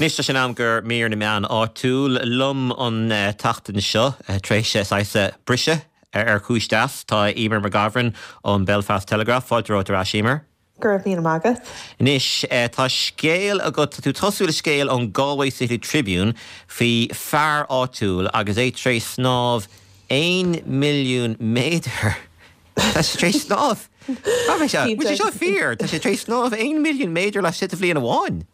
Anois tá sé in am do mhír na meán áitiúil liom an tseachtain seo, tar éis saghas briseadh ar chúis deas. Tá Eimear McGovern ón Belfast Telegraph. Fáilte romhat ar ais, Eimear. Go raibh míle maith agat. Anois, tá scéal agat, tá tú ag tosú le scéal ón Galway City Tribune faoi fear áitiúil agus é tar éis snámh 1 milliún méadar. Tá sé tar éis snámh. Tá sé, bhfuil sé seo fíor? Tá sé tar éis snámh 1 milliún méadar laistigh de bhliain amháin.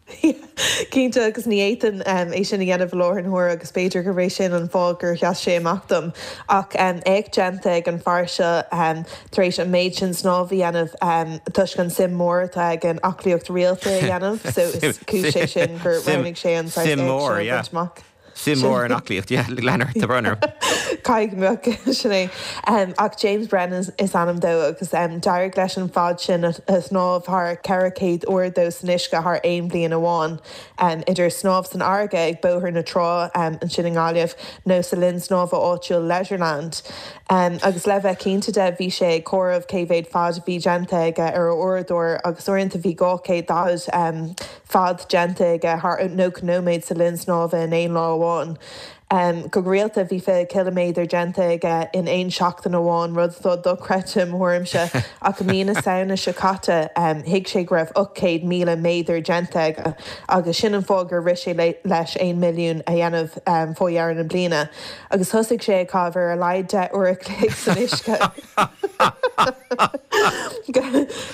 Cinnte, agus ní fhéadfainn é sin a dhéanamh i láthair na huaire agus b'fhéidir gurb é sin an fáth gur sheas sé amach dom. Ach éacht déanta ag an fear seo tar éis an méid sin snámh a dhéanamh toisc an suim mhór atá aige in aclaíocht rialta a dhéanamh so is cúis é sin gur roghnaigh sé an saghas éacht seo a bhaint amach. Suim mhór in aclaíocht, yeah, lean ort, tá brón orm. Caithfidh go mbeadh, sin é. Ach James Brennan is ainm dó agus d'éirigh leis an fad sin a shnámh thar 400 uair dó san uisce thar aon bhliain amháin, idir snámh san fharraige ag Bóthar na Trá ansin i nGaillimh nó sa linn snámha áitiúil Leisureland. Agus le bheith cinnte de, bhí sé ag comhaireamh cé mhéad fad a bhí déanta aige ar a uaireadóir agus uaireanta bhí 240 fad déanta aige thar 90 nóiméad sa linn snámha in aon lá amháin. Go rialta bhí 20 ciliméadar déanta aige in aon seachtain amháin, rud atá dochreidte i mo thuairimse, ach i mí na Samhna seo caite thuig sé go raibh 800,000 méadar déanta aige agus sin an fáth gur rith sé leis 1 milliún a dhéanamh fá dheireadh na bliana. Agus thosaigh sé ag caitheamh ar a laghad 10 uair a chloig san uisce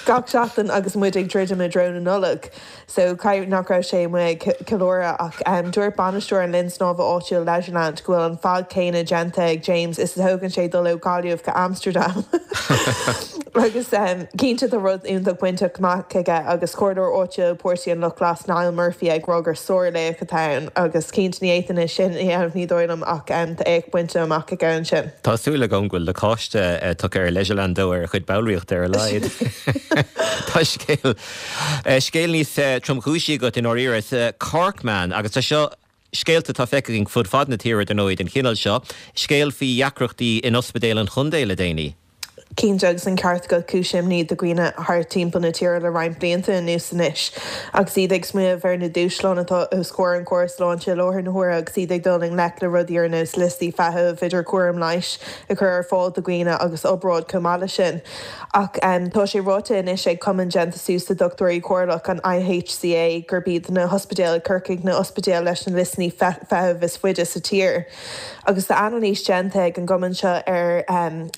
gach seachtain agus muid ag druidim i dtreo na Nollag. So caithfidh nach raibh sé amuigh ag ceiliúradh ach dúirt bainisteoir an linn snámha áitiúil Leisureland go bhfuil an fad céanna déanta ag James is a thógann sé dul ó Ghaillimh go Amsterdam. Agus cinnte tá rud iontach bainte amach aige agus comhairleoir áitiúil Páirtí an Lucht Glas Niall Murphy ag rá gur sárlaoch atá ann agus cinnte ní fhéadfainn é sin a dhéanamh ní dóigh liom ach tá éacht bainte amach aige ansin. Tá súil agam go bhfuil lacáiste tugtha ar Leisureland dó ar a chuid ballraíochta ar a laghad. Tá scéal scéal níos tromchúisí agat i ndáiríre sa Corkman agus tá seo Scéalta atá feicthe againn fud fad na tíre, dar ndóigh, den chineál seo. Scéal faoi dheacrachtaí in ospidéal an chontae le déanaí. Cinnte, agus an ceart agat, cúis imní do dhaoine thart timpeall na tíre le roinnt blianta anuas anois. Agus iad ag smaoineamh ar na dúshláin atá os comhair an chórais sláinte i láthair na huaire agus iad ag dul i ngleic le rudaí ar nós liostaí feithimh, idir chúram leighis a chur ar fáil do dhaoine agus obráid chomh maith leis sin. Ach tá sé ráite anois ag cumann déanta suas de dhochtúirí comhairleach, an IHCA, gurb iad na hospidéil i gCorcaigh na ospidéil leis na liostaí feithimh is faide sa tír. Agus tá anailís déanta ag an gcumann seo ar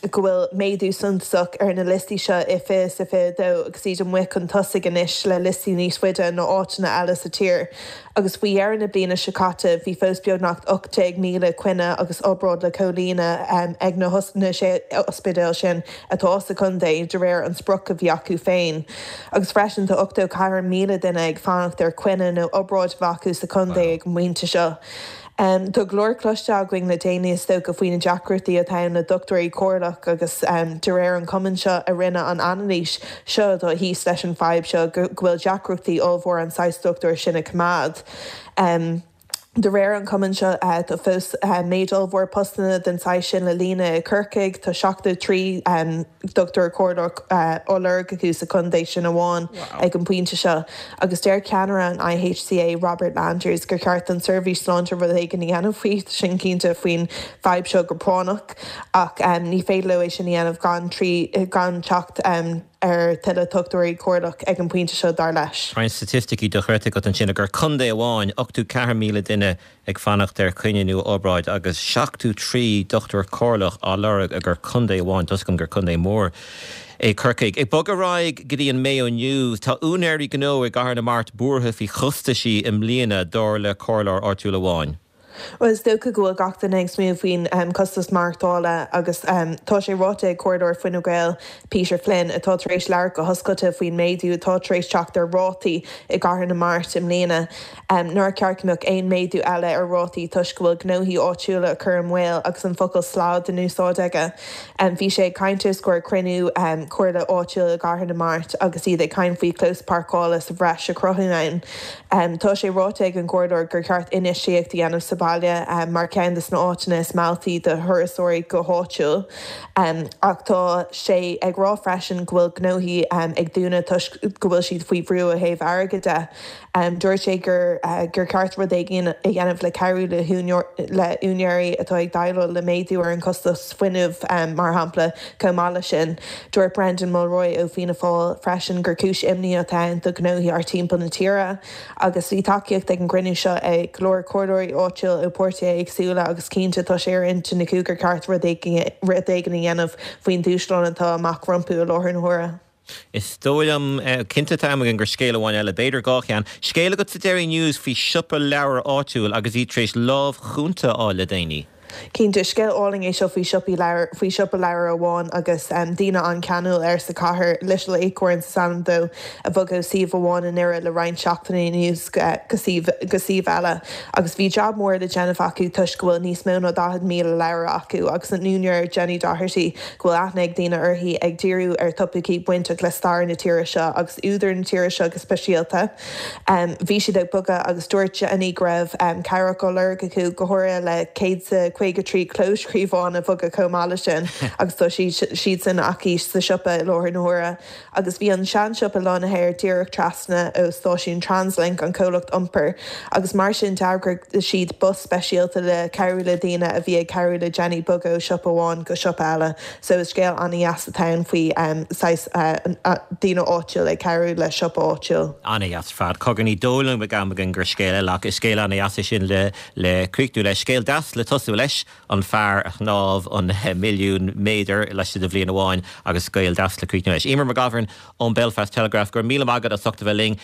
go bhfuil méadú suntasach ar na liostaí seo i 2022 agus iad amuigh chun tosaigh anois le liostaí níos faide ná áiteanna eile sa tír. Agus faoi dheireadh na bliana seo caite, bhí fós beagnach 18,000 coinne agus obráid le comhlíonadh ag na sé ospidéal sin atá sa chontae, de réir an sprioc a bhí acu féin. Agus freisin tá 84,000 duine ag fanacht ar choinne nó obráid a bheith acu sa chontae ag an bpointe seo. Tá go leor cloiste againn le déanaí is dócha faoi na deacrachtaí atá ann le dochtúirí comhairleach agus de réir an chumainn seo a rinne an anailís seo atá thíos leis an fadhb seo go bhfuil deacrachtaí ollmhór an saghas dochtúir sin a choimeád. De réir an chumainn seo tá fós méid ollmhór postanna den saghas sin le líonadh i Corcaigh, tá 73 dochtúir comhairleach á lorg acu sa chontae sin amháin ag an bpointe seo. Agus deir ceannaire an IHCA, Robert Landers, gur cheart don tseirbhís sláinte rud éigin a dhéanamh faoi sin, cinnte, faoin bhfadhb seo go práinneach, ach ní féidir leo é sin a dhéanamh gan gan teacht ar tuilleadh dochtúirí comhairleach ag an bpointe seo, dar leis. Roinnt staitisticí dochreidte agat ansin, i gcontae amháin, 84,000 duine ag fanacht ar choinne nó obráid agus 73 dochtúir comhairleach á lorg i gcontae amháin. Tá's agam gur contae mór é Corcaigh. Ag bogadh ar aghaidh go dtí an Mayo News, tá úinéirí gnó i gCathair na Mart buartha faoi chostaisí i mbliana, dar le comhairleoir áitiúil amháin. Bhuel, is dócha go bhfuil gach duine ag smaoineamh faoin costas maireachtála agus tá sé ráite ag Comhairleoir Fine Gael, Peter Flynn, atá tar éis labhairt go hoscailte faoin méadú atá tar éis teacht ar rátaí i gCathair na Mart i mbliana, nár cheart go mbeadh aon méadú eile ar rátaí toisc go bhfuil gnóthaí áitiúla á cur i mbaol agus an focal 'slad' in úsáid aige. Bhí sé ag caint os comhair cruinniú comhairle áitiúil i gCathair na Mart agus iad ag caint faoi chlós páirceála sa bhreis a chruthú ann. Tá sé ráite ag an gcomhairleoir gur cheart infheistíocht a dhéanamh sa. bhaile mar cheann de na áiteanna is mealltaí do thurasóirí go háitiúil. Ach tá sé ag rá freisin go bhfuil gnóthaí ag dúnadh toisc go bhfuil siad faoi bhrú ó thaobh airgid de. Dúirt sé gur gur ceart rud éigin a dhéanamh le cabhrú le húinéirí atá ag déileáil le méadú ar an chostas fuinnimh, mar shampla. Chomh maith leis sin, dúirt Brendan Mulroy ó Fianna Fáil freisin gur cúis imní atá ann do ghnóthaí thart timpeall na tíre. Agus bhí tacaíocht ag an gcruinniú seo ag go leor comhairleoirí áitiúil ó pháirtithe éagsúla agus cinnte tá sé ar intinn acu gur ceart rud éigin a dhéanamh faoin dúshlán atá amach rompu i láthair na huaire. Is dóigh liom, cinnte tá am againn gur scéal amháin eile, b'fhéidir dhá cheann. Scéal agat sa Derry News faoi siopa leabhar áitiúil agus iad tar éis lámh chúnta a fháil le déanaí. Cinnte, is scéal álainn é seo faoi siopaí leabhar, faoi siopa leabhar amháin agus daoine an-cheanúil air sa chathair, Little Acorns is ainm dó, a bhog ó suíomh amháin i nDoire le roinnt seachtainí anuas go suíomh go suíomh eile. Agus bhí jab mór le déanamh acu toisc go bhfuil níos mó ná 40,000 leabhar acu agus an úinéir Jenny Doherty, go bhfuil aithne ag daoine uirthi, ag díriú ar thopaicí bainteach le stair na tíre seo agus údair na tíre seo go speisialta. Bhí siad ag bogadh agus dúirt Jenny go raibh cabhrach á lorg acu, go háirithe le 153 clóscríobhán a bhogadh chomh maith leis sin agus tá siad sin aici sa siopa i láthair na huaire. Agus bhí an seansiopa lonnaithe díreach trasna ó stáisiún Translink, an comhlacht iompair, agus mar sin d'eagraigh siad bus speisialta le cabhrú le daoine a bhí ag cabhrú le Jenny bogadh ó siopa amháin go siopa eile. So is scéal an-dheas atá ann faoi saghas daoine áitiúil ag cabhrú le siopa áitiúil. An-dheas ar fad. Cogar ní dóigh liom go mbeidh am againn gur scéal eile ach is scéal an-dheas é sin le le críochnú leis. Scéal deas le tosú leis. an fear a shnámh an milliún méadar laistigh de bhliain amháin agus scéal deas le críochnú leis. Eimear McGovern ón Belfast Telegraph, go raibh míle maith agat as ucht a bheith linn.